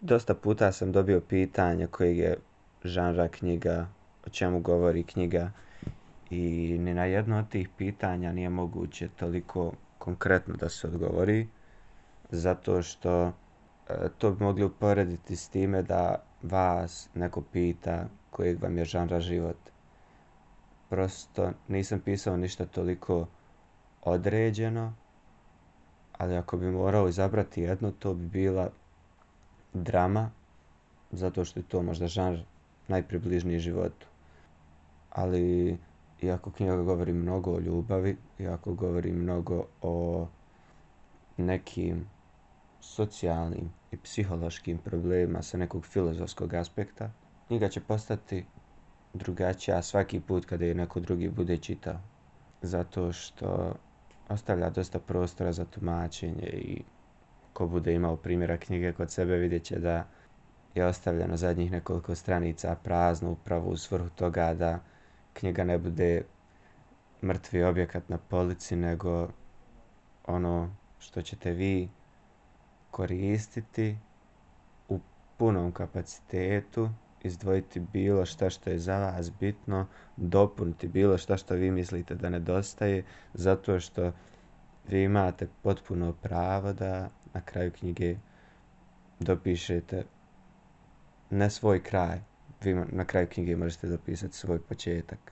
Dosta puta sam dobio pitanje koji je žanra knjiga, o čemu govori knjiga i ni na jedno od tih pitanja nije moguće toliko konkretno da se odgovori, zato što to bi mogli uporediti s time da vas neko pita kojeg vam je žanra život. Prosto nisam pisao ništa toliko određeno, ali ako bi morao izabrati jedno, to bi bila drama, zato što je to možda žanr najpribližniji životu. Ali, iako knjiga govori mnogo o ljubavi, iako govori mnogo o nekim socijalnim i psihološkim problemima sa nekog filozofskog aspekta, knjiga će postati drugačija svaki put kada je neko drugi bude čitao. Zato što ostavlja dosta prostora za tumačenje i ko bude imao primjera knjige kod sebe vidjet će da je ostavljeno zadnjih nekoliko stranica prazno upravo u svrhu toga da knjiga ne bude mrtvi objekat na polici, nego ono što ćete vi koristiti u punom kapacitetu, izdvojiti bilo šta što je za vas bitno, dopuniti bilo šta što vi mislite da nedostaje, zato što vi imate potpuno pravo da na kraju knjige dopišete ne svoj kraj. Vi na kraju knjige možete dopisati svoj početak.